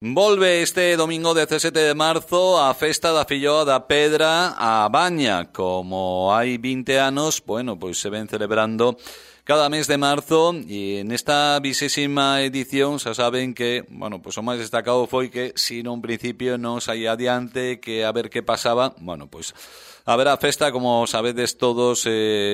Volve este domingo 17 de marzo a festa da Filloa da Pedra a Baña. Como hai 20 anos, bueno, pois se ven celebrando cada mes de marzo e nesta 20ª edición xa saben que, bueno, pois o máis destacado foi que si nun principio non saía adiante, que a ver que pasaba, bueno, pois haberá festa, como sabedes todos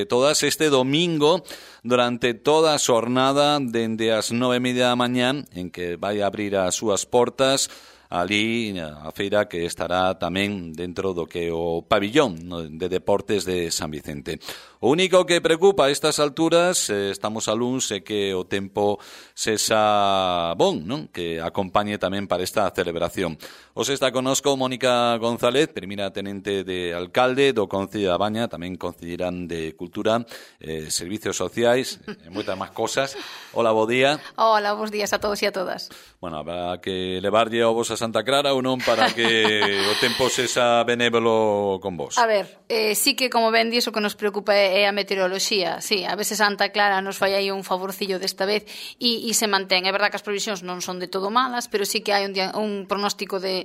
todas, este domingo durante toda a xornada dende as 9:30 da mañá, en que vai abrir as súas portas ali a feira, que estará tamén dentro do que é o pabillón de deportes de San Vicente. O único que preocupa a estas alturas, estamos a luns, é que o tempo sexa bon, non? Que acompañe tamén para esta celebración. Hoxe está connosco Mónica González, primeira tenente de alcalde do Concello da Baña, tamén concellerán de Cultura, Servicios Sociais e moitas máis cosas. Hola, bo día. Hola, bons días a todos e a todas. Bueno, habrá que levarlle ovos a Santa Clara ou non para que o tempo sexa benévolo con vos? A ver, sí que, como ben dis, o que nos preocupa é a meteoroloxía. Sí, a veces Santa Clara nos fai aí un favorcillo desta vez e se mantén. É verdad que as previsións non son de todo malas, pero sí que hai un pronóstico de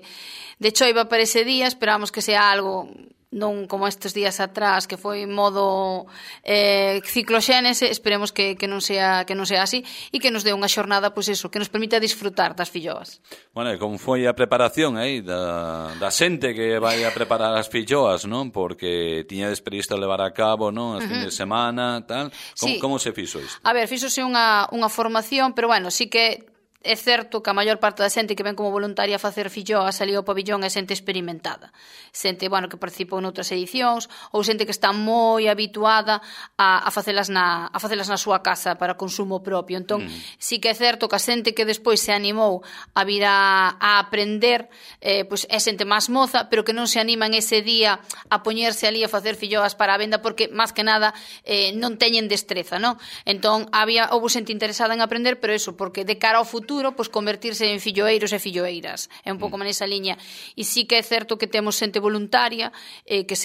choiva para ese día. Esperamos que sea algo non como estes días atrás, que foi modo cicloxénese. Esperemos que non sea así e que nos dé unha xornada, pois eso, que nos permita disfrutar das filloas. Bueno, e como foi a preparación aí da xente que vai a preparar as filloas, non? Porque tiñades previsto levar a cabo, non? As fines de semana, tal. Como se fixo isto? A ver, fixose unha formación, pero bueno, sí que é certo que a maior parte da xente que ven como voluntaria a facer filloas ali ao pabillón é xente experimentada. Xente, bueno, que participou noutras edicións, ou xente que está moi habituada a facelas na súa casa para consumo propio. Entón, sí que é certo que a xente que despois se animou a vir a aprender, pois é xente máis moza, pero que non se animan ese día a poñerse ali a facer filloas para a venda, porque, máis que nada, non teñen destreza, non? Entón, houve xente interesada en aprender, pero eso, porque de cara ao futuro, pois convertirse en filloeiros e filloeiras. É un pouco nesa liña. E sí que é certo que temos xente voluntaria que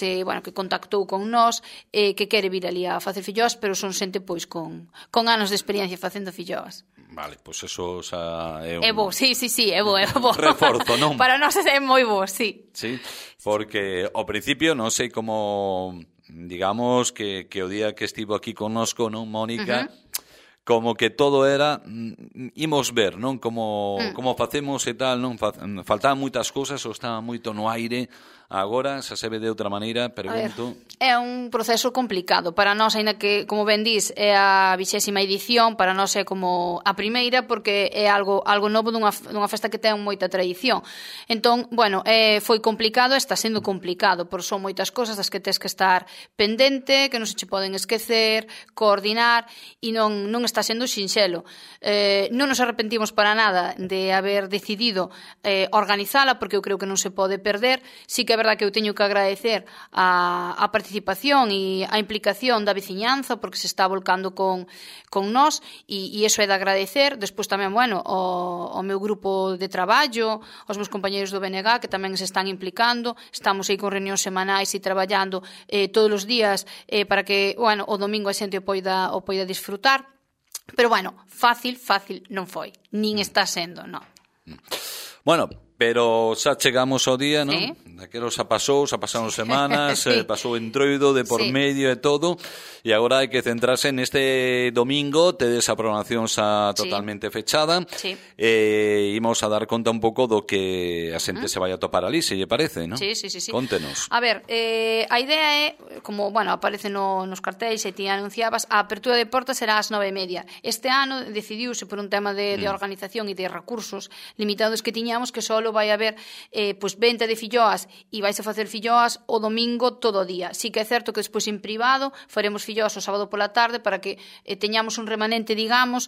contactou con nós, que quere vir ali a facer filloas, pero son xente pois con anos de experiencia facendo filloas. Vale, pois eso xa é un... É bo, sí, é bo. Reforzo, non? Para nós é moi bo, sí. Sí, porque ao principio non sei como, digamos, que o día que estivo aquí connosco, non, Mónica, como que todo era imos ver, non? Como facemos e tal, non? Faltaban moitas cousas ou estaba moito no aire. Agora, xa se ve de outra maneira, pregunto... É un proceso complicado. Para nós, aínda que, como ben dís, é a 20ª edición, para nós é como a primeira, porque é algo novo dunha festa que ten moita tradición. Entón, bueno, foi complicado, está sendo complicado, porque son moitas cousas das que tes que estar pendente, que non se che poden esquecer, coordinar, e non está sendo sinxelo. Non nos arrepentimos para nada de haber decidido organizala, porque eu creo que non se pode perder. Sí que é verdad que eu teño que agradecer a participación e a implicación da veciñanza, porque se está volcando con nós, e iso é de agradecer. Despois tamén, bueno, o meu grupo de traballo, os meus compañeros do BNG, que tamén se están implicando. Estamos aí con reunións semanais e traballando todos os días para que, bueno, o domingo a xente o poida disfrutar. Pero, bueno, fácil non foi. Nin está sendo, non. Bueno, pero xa chegamos ao día, non? Sí. Daquelo xa pasaron semanas, sí. Pasou entroido de por medio e todo, e agora hai que centrarse neste domingo. Tedes a programación xa totalmente fechada. Sí. Imos a dar conta un pouco do que a xente se vai a topar ali, se lle parece, non? Sí. Contenos. A ver, a idea é, como, bueno, aparece nos cartéis e ti anunciabas, a apertura de portas será ás 9:30. Este ano decidiuse por un tema de organización e de recursos limitados que tiñamos, que só vai haber pois venta de filloas e vais a facer filloas o domingo todo o día. Sí que é certo que despois en privado faremos filloas o sábado pola tarde para que teñamos un remanente, digamos,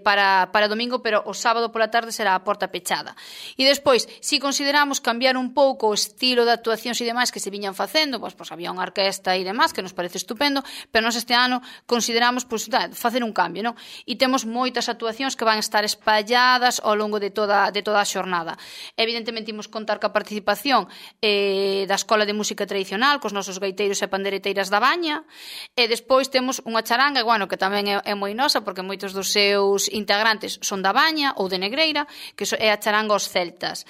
para domingo, pero o sábado pola tarde será a porta pechada. E despois, si consideramos cambiar un pouco o estilo de actuacións e demais que se viñan facendo, pois había unha orquesta e demais que nos parece estupendo, pero nós este ano consideramos facer un cambio, non? E temos moitas actuacións que van estar espalladas ao longo de toda a xornada. Evidentemente imos contar ca participación da Escola de Música Tradicional, cos nosos gaiteiros e pandereteiras da Baña, e despois temos unha charanga, bueno, que tamén é moi nosa, porque moitos dos seus integrantes son da Baña ou de Negreira, que é a charanga Os Celtas.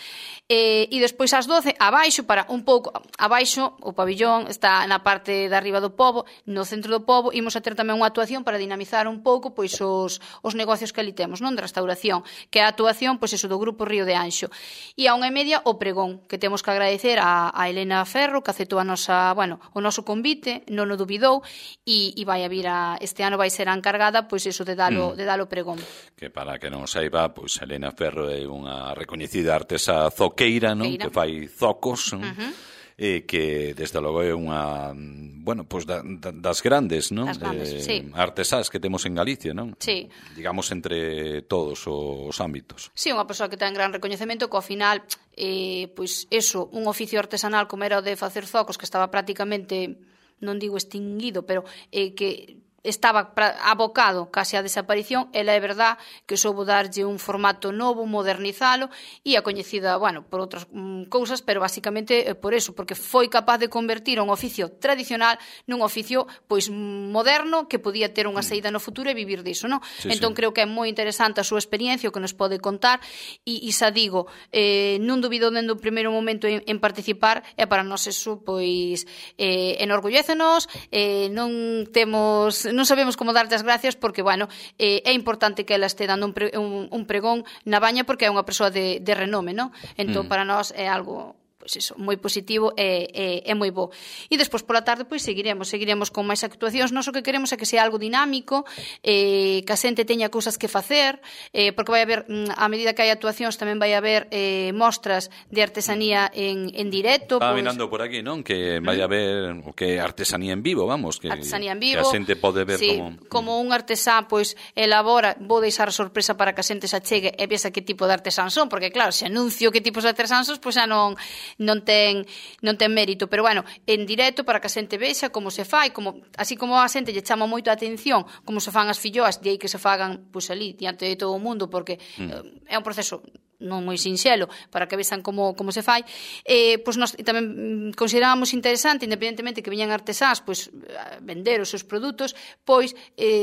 E despois ás 12, abaixo, para un pouco, abaixo, o pabillón está na parte de arriba do pobo, no centro do pobo, imos a ter tamén unha actuación para dinamizar un pouco pois os negocios que ali temos, non, de restauración, que é a actuación, pois eso, do grupo Río de Anxo. E a 1:30 o pregón, que temos que agradecer a Elena Ferro, que aceptou o noso convite, non o dubidou, e vai a vir este ano vai ser a encargada, pois eso, de dalo pregón. Que para que non saiba, pois Elena Ferro é unha recoñecida artesa zoqueira, non? Que fai zocos, non? Que desde logo é unha, bueno, pois das grandes, non? Das grandes, sí. Artesás que temos en Galicia, non? Sí. Digamos entre todos os ámbitos. Sí, unha persoa que ten gran recoñecemento, que ao final, pois eso, un oficio artesanal como era o de facer zocos, que estaba prácticamente, non digo extinguido, pero que estaba abocado case á desaparición, ela é verdad que soubo darlle un formato novo, modernizalo, e a coñecida, bueno, por outras cousas, pero basicamente por eso, porque foi capaz de convertir un oficio tradicional nun oficio pois moderno, que podía ter unha saída no futuro e vivir diso, non? Sí, entón creo que é moi interesante a súa experiencia, o que nos pode contar, e xa digo, non dubido dende o primeiro momento en participar, e para nós eso, pois, enorgullécenos, non sabemos como darte as gracias porque, bueno, é importante que ela este dando un pregón na Baña porque é unha persoa de renome, non? Entón, para nós é algo, pois iso, moi positivo e moi bo. E despois pola tarde pois seguiremos con máis actuacións. Nós o que queremos é que sea algo dinámico, que a xente teña cousas que facer, porque vai haber, a medida que hai actuacións, tamén vai haber mostras de artesanía en directo. Estaba mirando por aquí, non? Que vai haber o que artesanía en vivo, vamos, que artesanía en vivo, que a xente pode ver, sí, como un artesán pois elabora, vou deixar a sorpresa para que a xente se achegue e vexa que tipo de artesán son, porque claro, se anuncio que tipos de artesán son, pois xa non ten mérito, pero bueno, en directo para que a xente vexa como se fai, así como a xente lle chama moito a atención como se fan as filloas, de aí que se fagan pois ali diante de todo o mundo, porque é un proceso non moi sinxelo, para que vexan como se fai, pois nós tamén considerábamos interesante, independentemente que viñan artesáns, pois vender os seus produtos, pois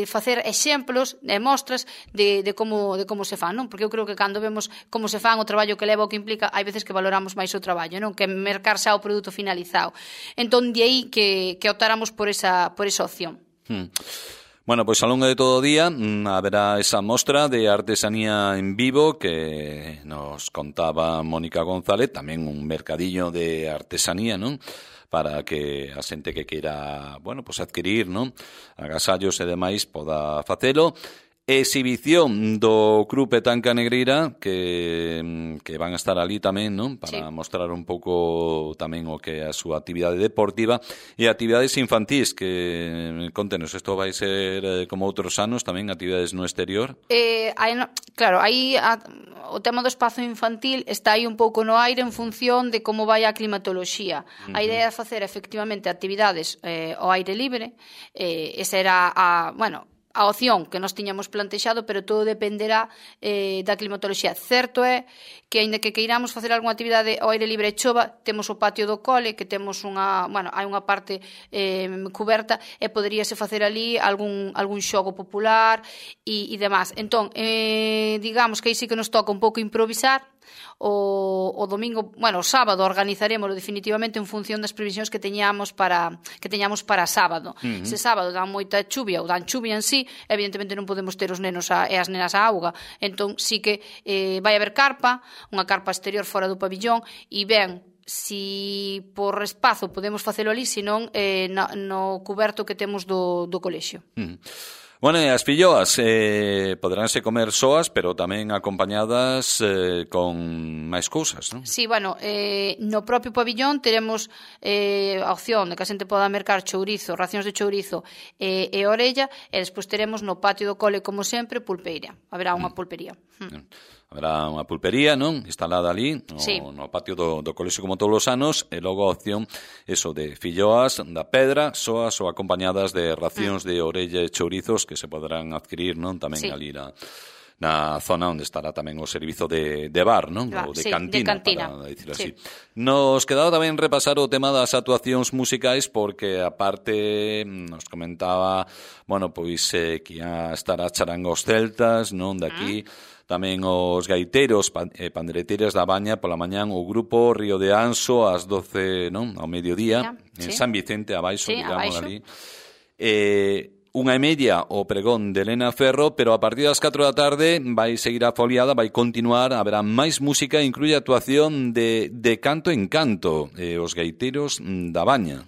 facer exemplos e mostras de como se fan, non? Porque eu creo que cando vemos como se fan, o traballo que leva, o que implica, hai veces que valoramos máis o traballo, non? Que mercar xa o produto finalizado. Entón, de aí que optáramos por esa opción. Bueno, pois ao longo de todo o día haberá esa mostra de artesanía en vivo que nos contaba Mónica González, tamén un mercadillo de artesanía, non? Para que a xente que queira, bueno, pois adquirir, non? Agasallos e demais poda facelo. Exhibición do Club Petanca Negreira que van a estar ali tamén, non? Para mostrar un pouco tamén o que é a súa actividade deportiva e actividades infantís, que contenos, isto vai ser como outros anos tamén, actividades no exterior? Claro, aí o tema do espazo infantil está aí un pouco no aire en función de como vai a climatoloxía. A idea é facer efectivamente actividades ao aire libre, esa era a opción que nos tiñamos plantexado, pero todo dependerá da climatoloxía. Certo é que, aínda que queiramos facer algunha actividade ao aire libre e chova, temos o patio do cole, que temos hai unha parte cuberta, e poderíase facer ali algún xogo popular e demás. Entón, digamos que aí sí que nos toca un pouco improvisar. O domingo, o sábado organizaremos definitivamente en función das previsións que teñamos para sábado. Se sábado dan moita chuvia ou dan chuvia en sí, evidentemente non podemos ter os nenos e as nenas a auga. Entón sí que vai haber carpa, unha carpa exterior fora do pabillón, e ben, si por espazo podemos facelo ali, senón no cuberto que temos do colexio. Bueno, e as filloas poderánse comer soas, pero tamén acompañadas con máis cousas, non? Sí, no propio pabillón teremos a opción de que a xente poda mercar chourizo, racións de chourizo e orella, e despois teremos no patio do cole, como sempre, pulpeira. Haberá unha pulpería. Haberá unha pulpería, non? Instalada ali no patio do colexio como todos os anos, e logo a opción eso de filloas da Pedra, soas ou acompañadas de racións de orella e chourizos que se poderán adquirir, non? Tamén ali na zona onde estará tamén o servizo de bar, non? Ou de cantina, para dicirlo así. Nos quedaba tamén repasar o tema das actuacións musicais, porque aparte nos comentaba, bueno, pois que ia estar a charanga os celtas, non? De aquí, tamén os gaiteiros, pandereteiras da Baña pola mañán, o grupo Río de Anso ás 12, non? Ao mediodía, en San Vicente, abaixo, digamos, ali. Unha e media o pregón de Elena Ferro, pero a partir das 4 da tarde vai seguir a foliada, vai continuar, haberá máis música, incluye actuación de canto en canto, os gaiteiros da Baña.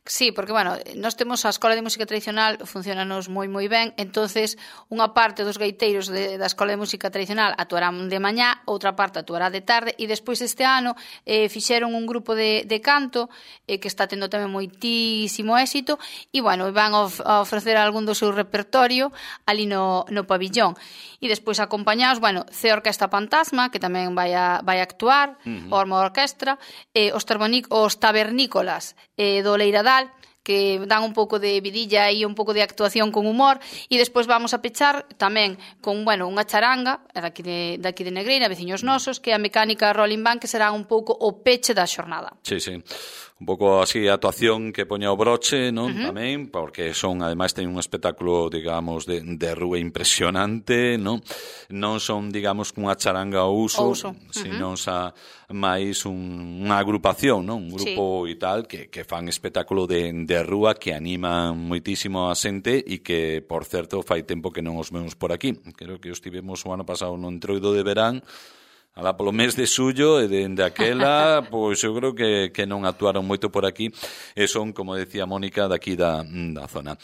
Sí, porque, bueno, nós temos a Escola de Música Tradicional, funcionanos moi ben, entonces unha parte dos gaiteiros da Escola de Música Tradicional actuarán de mañá, outra parte actuará de tarde, e despois este ano fixeron un grupo de canto que está tendo tamén moitísimo éxito, e, bueno, van a ofrecer algún do seu repertorio ali no pabillón. E despois acompañados, bueno, C Orquesta Fantasma, que tamén vai a actuar, Orma Orquestra, os Tabernícolas do Leiradal, que dan un pouco de vidilla e un pouco de actuación con humor, e despois vamos a pechar tamén con, bueno, unha charanga daqui de Negreira, veciños nosos, que é a Mecánica Rolling Band, que será un pouco o peche da xornada. Sí. Un pouco así a actuación que poña o broche, non? Tamén, porque ademais ten un espectáculo, digamos, de rúa impresionante, non? Non son, digamos, unha charanga ao uso. Sino máis unha agrupación, non? Un grupo e tal, que fan espectáculo de rúa, que animan moitísimo a xente, e que, por certo, fai tempo que non os vemos por aquí. Creo que os tivemos o ano pasado no entroido de verán, alá polo mes de xullo, e dende aquela, pois eu creo que non actuaron moito por aquí, e son, como decía Mónica, daqui da zona.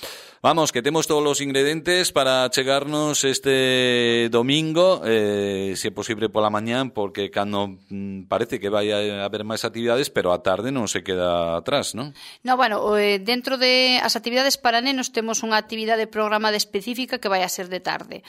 Vamos, que temos todos os ingredientes para chegarnos este domingo, se é posible pola mañán, porque cando parece que vai a haber máis actividades, pero a tarde non se queda atrás, non? No, bueno, dentro de as actividades para nenos temos unha actividade programada específica que vai a ser de tarde.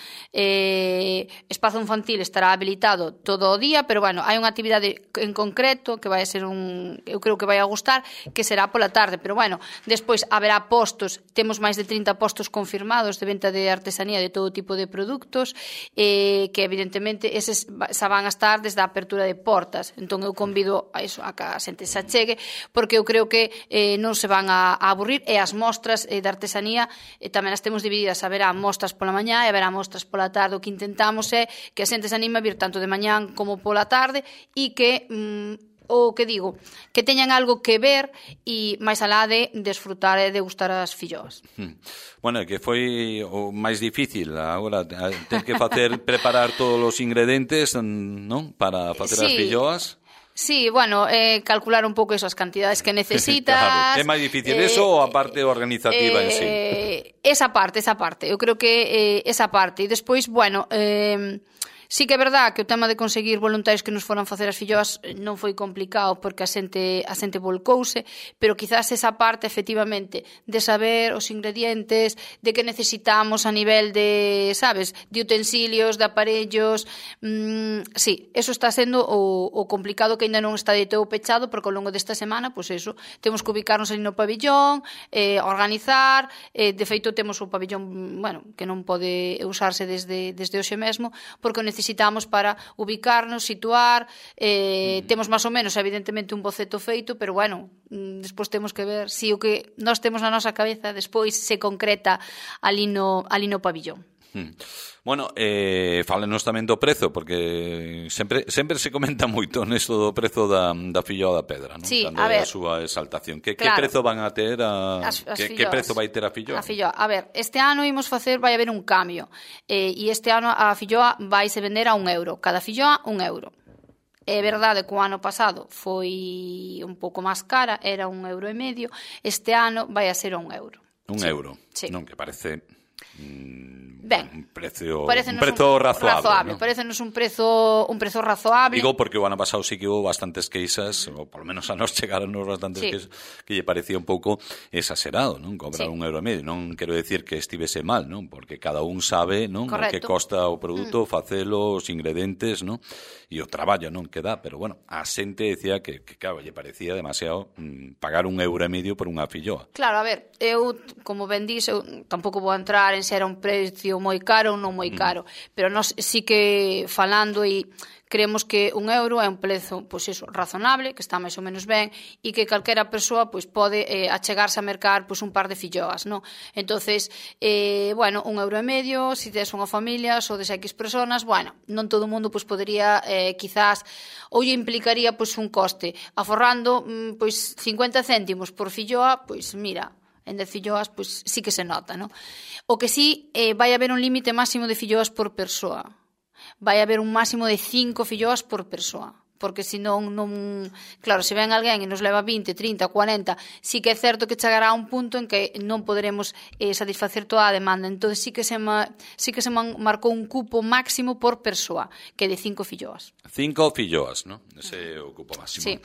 Espazo infantil estará habilitado todo o día, pero, bueno, hai unha actividade en concreto que vai a ser eu creo que vai a gustar, que será pola tarde, pero, bueno, despois haberá postos, temos máis de 30 postos confirmados de venta de artesanía de todo tipo de produtos, que evidentemente eses xa van a estar desde a apertura de portas. Entón eu convido a iso, a que a xente se achegue, porque eu creo que non se van a aburrir, e as mostras de artesanía tamén as temos divididas, haberá mostras pola mañá e haberá mostras pola tarde. O que intentamos é que a xente se anime a vir tanto de mañán como pola tarde, e que que teñan algo que ver, e máis alá de desfrutar e degustar as filloas. Bueno, que foi o máis difícil agora, ter que preparar todos os ingredientes, non? Para facer as filloas. Sí, bueno, calcular un pouco esas cantidades que necesitas. Claro, é máis difícil eso ou a parte organizativa en sí? Esa parte. Eu creo que esa parte. E despois, bueno, sí que é verdad que o tema de conseguir voluntarios que nos foran facer as filloas non foi complicado, porque a xente volcouse, pero quizás esa parte, efectivamente, de saber os ingredientes, de que necesitamos a nivel de, sabes, de utensilios, de aparellos, sí, eso está sendo o complicado, que ainda non está de todo pechado, porque ao longo desta semana, pois eso, temos que ubicarnos ali no pabillón, organizar, de feito temos o pabillón, bueno, que non pode usarse desde hoxe mesmo, porque necesitamos para ubicarnos, situar, temos máis ou menos, evidentemente, un boceto feito, pero, bueno, despois temos que ver se o que nós temos na nosa cabeza despois se concreta ali no pabillón. Bueno, fálenos tamén do prezo, porque sempre se comenta moito nesto do prezo da filloa da pedra, non? Sí, cando a ver, a súa exaltación. Que claro, prezo van a ter que prezo vai ter a filloa? A filloa, a ver, este ano vai haber un cambio, e este ano a filloa vai se vender a €1, cada filloa €1. É verdade que o ano pasado foi un pouco máis cara, era €1,5, este ano vai a ser €1. €1, sí. Non, que parece ben, un prezo razoable, ¿no? Parecenos un prezo razoable. Digo porque o ano pasado sí que hubo bastantes queixas, ou polo menos a nos chegaron bastantes queixas, que lle parecía un pouco exagerado, non? Cobrar €1,5. Non quero decir que estivese mal, non? Porque cada un sabe, non? O que costa o produto, facelo, os ingredientes, non? E o traballo, non? Que dá, pero bueno, a xente decía que claro, lle parecía demasiado pagar €1,5 por unha filloa. Claro, a ver, eu, como ben dís, eu tampouco vou entrar en se era un precio moi caro ou non moi caro, pero nós sí que falando e creemos que €1 é un prezo, pois iso, razonable, que está máis ou menos ben e que calquera persoa pois pode achegarse a mercar pois un par de filloas, non? Entonces, bueno, €1,50, se tes unha familia, sodes X personas, bueno, non todo o mundo pois podería quizás ou lle implicaría pois un coste, aforrando pois 50 céntimos por filloa, pois mira, en 10 filloas pois sí que se nota, non? O que sí vai haber un límite máximo de filloas por persoa. Vai haber un máximo de 5 filloas por persoa, porque senón non... Claro, se ven alguén e nos leva 20, 30, 40, sí que é certo que chegará a un punto en que non poderemos satisfacer toda a demanda. Entón sí que se marcou un cupo máximo por persoa, que é de 5 filloas. 5 filloas, non? Ese é o cupo máximo. Sí.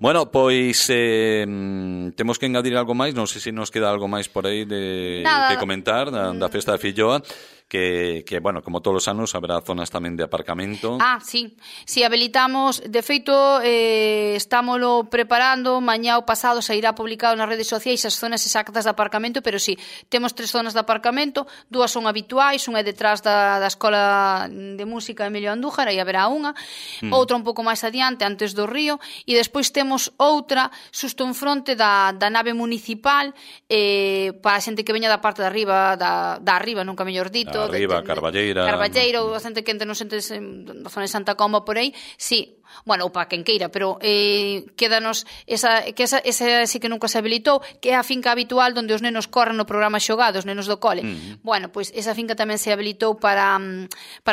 Bueno, pois temos que engadir algo máis, non sei se nos queda algo máis por aí de comentar da festa da filloa. Que, bueno, como todos os anos, haberá zonas tamén de aparcamento. Sí. Si habilitamos, de feito, estámoslo preparando, mañá ou pasado sairá publicado nas redes sociais as zonas exactas de aparcamento, pero sí, temos 3 zonas de aparcamento, 2 son habituais, unha é detrás da Escola de Música Emilio Andújar, aí haberá unha, outra un pouco máis adiante, antes do río, e despois temos outra xusto en fronte da nave municipal, para a xente que veña da parte de arriba, da arriba, nunca mellor dito, arriba, Carballeira ou a xente que entre nos entes da zona de Santa Comba por aí, sí, bueno, ou para quen queira, pero quédanos esa sí que nunca se habilitou, que é a finca habitual onde os nenos corren no programa xogado, os nenos do cole. Bueno, pois esa finca tamén se habilitou para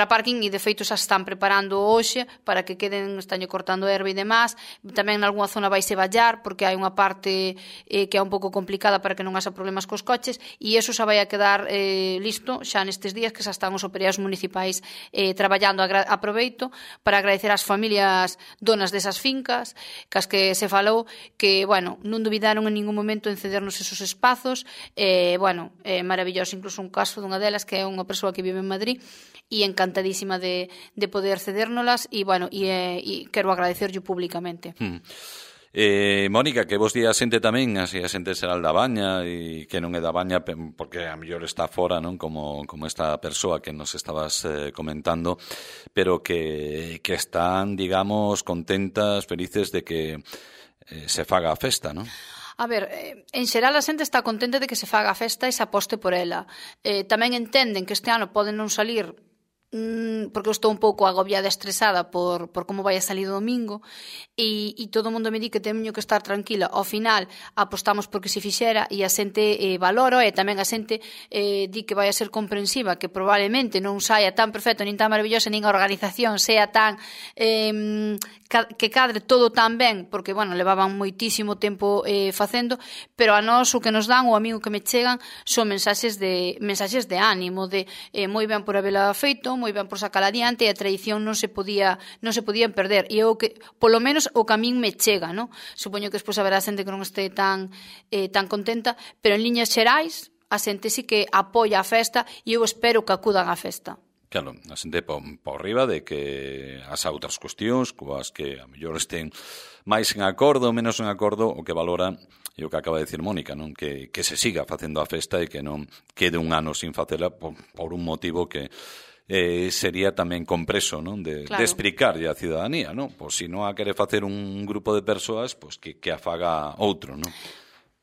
parking e de feito xa están preparando hoxe para que queden, están cortando erva e demás. Tamén en algunha zona vai se vallar porque hai unha parte que é un pouco complicada para que non haxa problemas cos coches e eso xa vai a quedar listo xa nestes días que xa están os operarios municipais traballando. Aproveito para agradecer ás familias donas desas fincas, cas que se falou que, bueno, non dubidaron en ningún momento en cedernos esos espazos, bueno, maravilloso, incluso un caso dunha delas que é unha persoa que vive en Madrid e encantadísima de poder cedérnolas e, bueno, e quero agradecerlle públicamente. Mónica, que vos di a xente tamén, así a xente será da Baña e que non é da Baña porque a mellor está fora, non? Como esta persoa que nos estabas comentando, pero que están, digamos, contentas, felices de que se faga a festa, non? A ver, en xeral a xente está contenta de que se faga a festa e se aposte por ela. Tamén entenden que este ano poden non salir porque eu estou un pouco agobiada e estresada por como vai a salir o domingo e todo o mundo me di que teño que estar tranquila. Ao final apostamos porque se fixera e a xente valora e tamén a xente di que vai a ser comprensiva, que probablemente non saia tan perfecto nin tan maravillosa nin a organización sea tan que cadre todo tan ben, porque, bueno, levaban moitísimo tempo facendo, pero a nós o que nos dan, o amigo que me chegan, son mensaxes de ánimo, de moi ben por habela feito, moi ben por sacar adiante, e a tradición non se podía perder, e o que, polo menos, o que a min me chega, non? Supoño que despois haberá xente que non este tan contenta, pero en liñas xerais, a xente sí que apoia a festa e eu espero que acudan á festa. Claro, a xente por riba de que as outras cuestións coas que a mellor estén máis en acordo ou menos en acordo, o que valora e o que acaba de decir Mónica, non? Que se siga facendo a festa e que non quede un ano sin facela por un motivo que sería tamén compreso, non? De explicarlle á ciudadanía, non? Pois se non a quere facer un grupo de persoas, pois que a faga outro, non?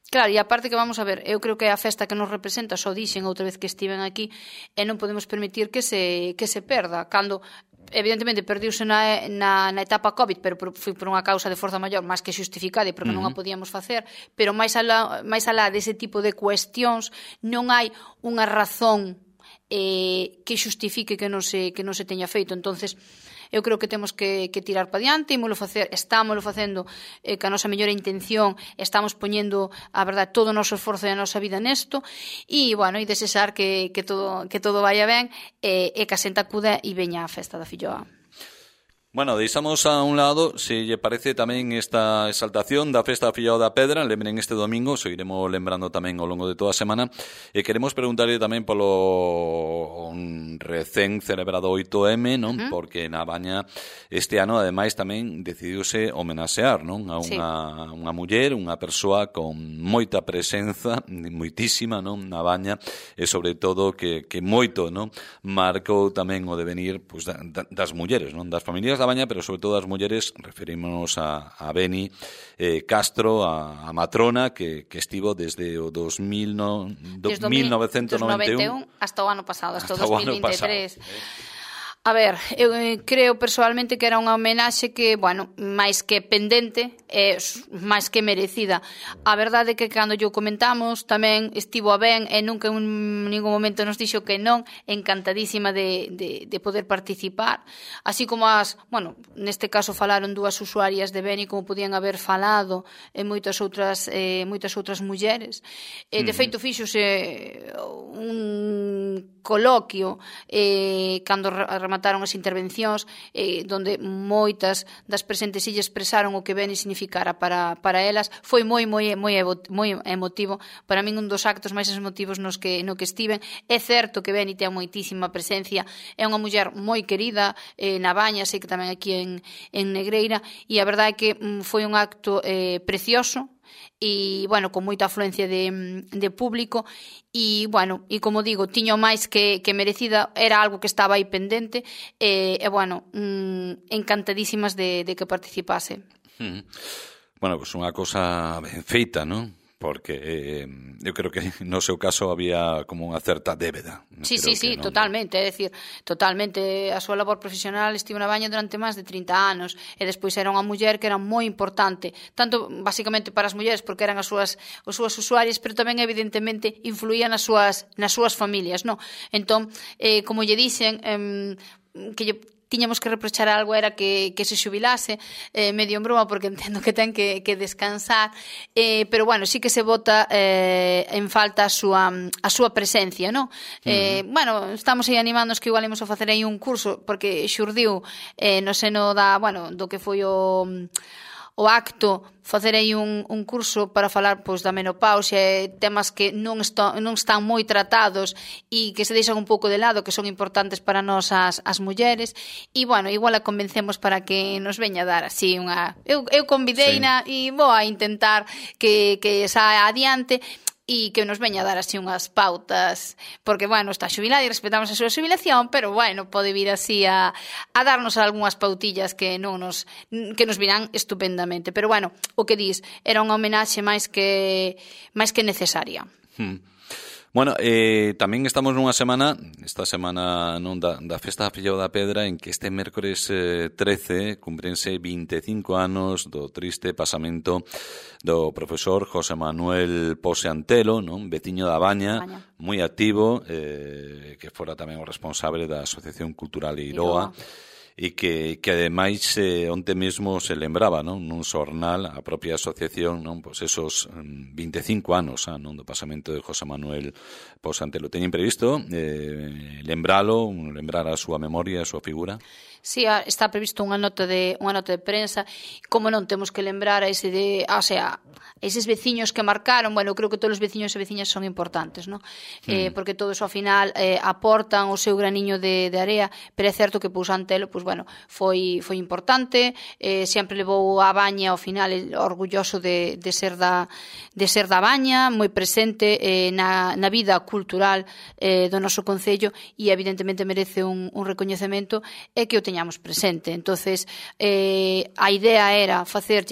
Claro, e aparte que vamos a ver, eu creo que é a festa que nos representa, só dixen outra vez que estiven aquí, e non podemos permitir que se perda. Cando, evidentemente, perdiuse na etapa COVID, pero foi por unha causa de forza maior, máis que justificada, porque non a podíamos facer, pero máis alá dese tipo de cuestións, non hai unha razón que xustifique que non se teña feito. Entonces, eu creo que temos que tirar para diante, estámoslo facendo ca nosa mellor intención, estamos poñendo, a verdade, todo o noso esforzo e a nosa vida nesto, e, bueno, e desexar que todo vaya ben e que a xente acuda e veña á festa da filloa. Bueno, deixamos a un lado, se lle parece tamén esta exaltación da Festa da Fillao da Pedra, lembren este domingo, seguiremos lembrando tamén ao longo de toda a semana, e queremos preguntarle tamén polo recén celebrado 8M, non? Porque na Baña este ano, ademais, tamén decidiuse homenaxear, non? A unha muller, unha persoa con moita presenza, moitísima, non? Na Baña, e sobre todo que moito, non? Marcou tamén o devenir pois, das mulleres, non? Das familias da Baña, pero sobre todo as mulleres, referímonos a Beni Castro, a matrona, que estivo desde o 1991 hasta o ano pasado, hasta o 2023. A ver, eu creo persoalmente que era unha homenaxe que, bueno, máis que pendente, máis que merecida. A verdade é que cando yo comentamos tamén estivo a ben e nunca en ningún momento nos dixo que non, encantadísima de poder participar. Así como bueno, neste caso falaron dúas usuarias de Beni como podían haber falado en moitas outras mulleres. De feito, fíxose un coloquio cando remataron as intervencións donde moitas das presentes lle expresaron o que Beni significara para elas. Foi moi emotivo. Para min un dos actos máis emotivos no que estiven. É certo que Beni ten moitísima presencia, é unha muller moi querida na Baña, sei que tamén aquí en Negreira, e a verdade é que foi un acto precioso e, bueno, con moita afluencia de público e, bueno, e como digo, tiño máis que merecida, era algo que estaba aí pendente e bueno, encantadísimas de que participase. Bueno, pues unha cosa ben feita, non? Porque eu creo que no seu caso había como unha certa débeda. Sí, totalmente, é dicir, totalmente. A súa labor profesional estivo na Baña durante máis de 30 anos e despois era unha muller que era moi importante, tanto basicamente para as mulleres porque eran as súas usuarias, pero tamén evidentemente influía nas súas familias, non? Entón, como lle dixen, que tiñamos que reprochar algo era que se xubilase, medio en broma porque entendo que ten que descansar, pero bueno, sí que se bota en falta a súa presencia, non? Bueno, estamos aí animándonos que igual imos a facer aí un curso porque xurdiu no seno do que foi o acto, facer aí un curso para falar pois da menopausia e temas que non están moi tratados e que se deixan un pouco de lado, que son importantes para nós as mulleres, e bueno, igual a convencemos para que nos veña a dar así unha... Eu convideina e vou a intentar que saia adiante e que nos veña a dar así unhas pautas, porque, bueno, está xubilada e respetamos a súa xubilación, pero, bueno, pode vir así a darnos algunhas pautillas que nos virán estupendamente. Pero, bueno, o que dis, era unha homenaxe máis que necesaria. Bueno, tamén estamos nunha semana, esta semana non da Festa da Fillao da Pedra, en que este mércores 13 cumprense 25 anos do triste pasamento do profesor José Manuel Pose Antelo, non? Veciño da Baña, moi activo, que fora tamén o responsable da Asociación Cultural Eiroa, e que ademais onte mesmo se lembraba, non, nun xornal a propia asociación, non, pois esos 25 anos, non, do pasamento de José Manuel Pose Antelo. Teñen previsto lembrar a súa memoria, a súa figura? Sí, está previsto unha nota de prensa. Como non temos que lembrar a eses veciños que marcaron. Bueno, creo que todos os veciños e veciñas son importantes, non? Porque todos ao final aportan o seu graniño de area, pero é certo que Pose Antelo, pois bueno, foi importante, sempre levou a Baña ao final orgulloso de ser da Baña, moi presente na vida cultural do noso concello e evidentemente merece un recoñecemento e que o teñamos presente. Entonces, a idea era facer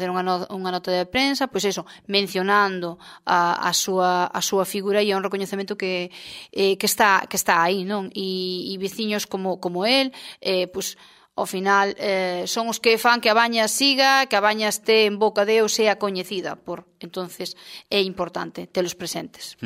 unha nota de prensa, pois eso, mencionando a súa figura e un recoñecemento que está aí, non? E veciños como el, pois ao final son os que fan que a Baña siga, que a Baña este en boca de ou sea coñecida por entonces é importante telos presentes.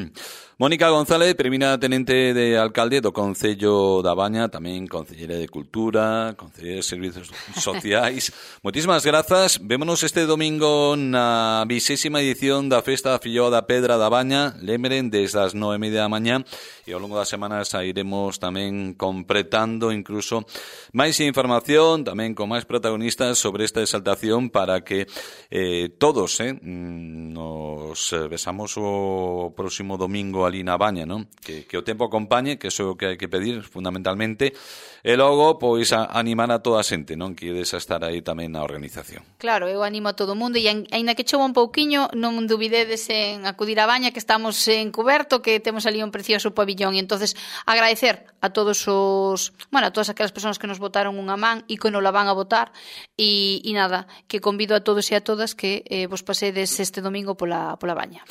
Mónica González, primeira tenente de alcalde do Concello da Baña, tamén concelleira de Cultura, concelleira de Servizos Sociais. Moitísimas grazas. Vémonos este domingo na 20ª edición da Festa da Filloa da Pedra da Baña. Lembren, desde as 9:30 da mañá, e ao longo das semanas iremos tamén completando incluso máis información, tamén con máis protagonistas sobre esta exaltación, para que todos nos besamos o próximo domingo ali na Baña, non? Que o tempo acompañe, que iso é o que hai que pedir fundamentalmente, e logo pois animar a toda a xente, non? Que ides a estar aí tamén na organización. Claro, eu animo a todo o mundo, e aínda que chova un pouquiño, non dubidedes en acudir á Baña, que estamos en Cuberto, que temos ali un precioso pabillón, e entonces agradecer a todos a todas aquelas persoas que nos botaron unha man e que nos la van a botar, e nada, que convido a todos e a todas que vos pasedes este domingo pola Baña.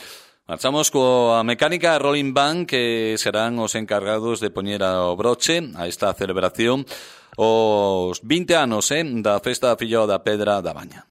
Marchamos coa mecánica Rolling Band, que serán os encargados de poñer ao broche a esta celebración os 20 anos da Festa da Filloa da Pedra da Baña.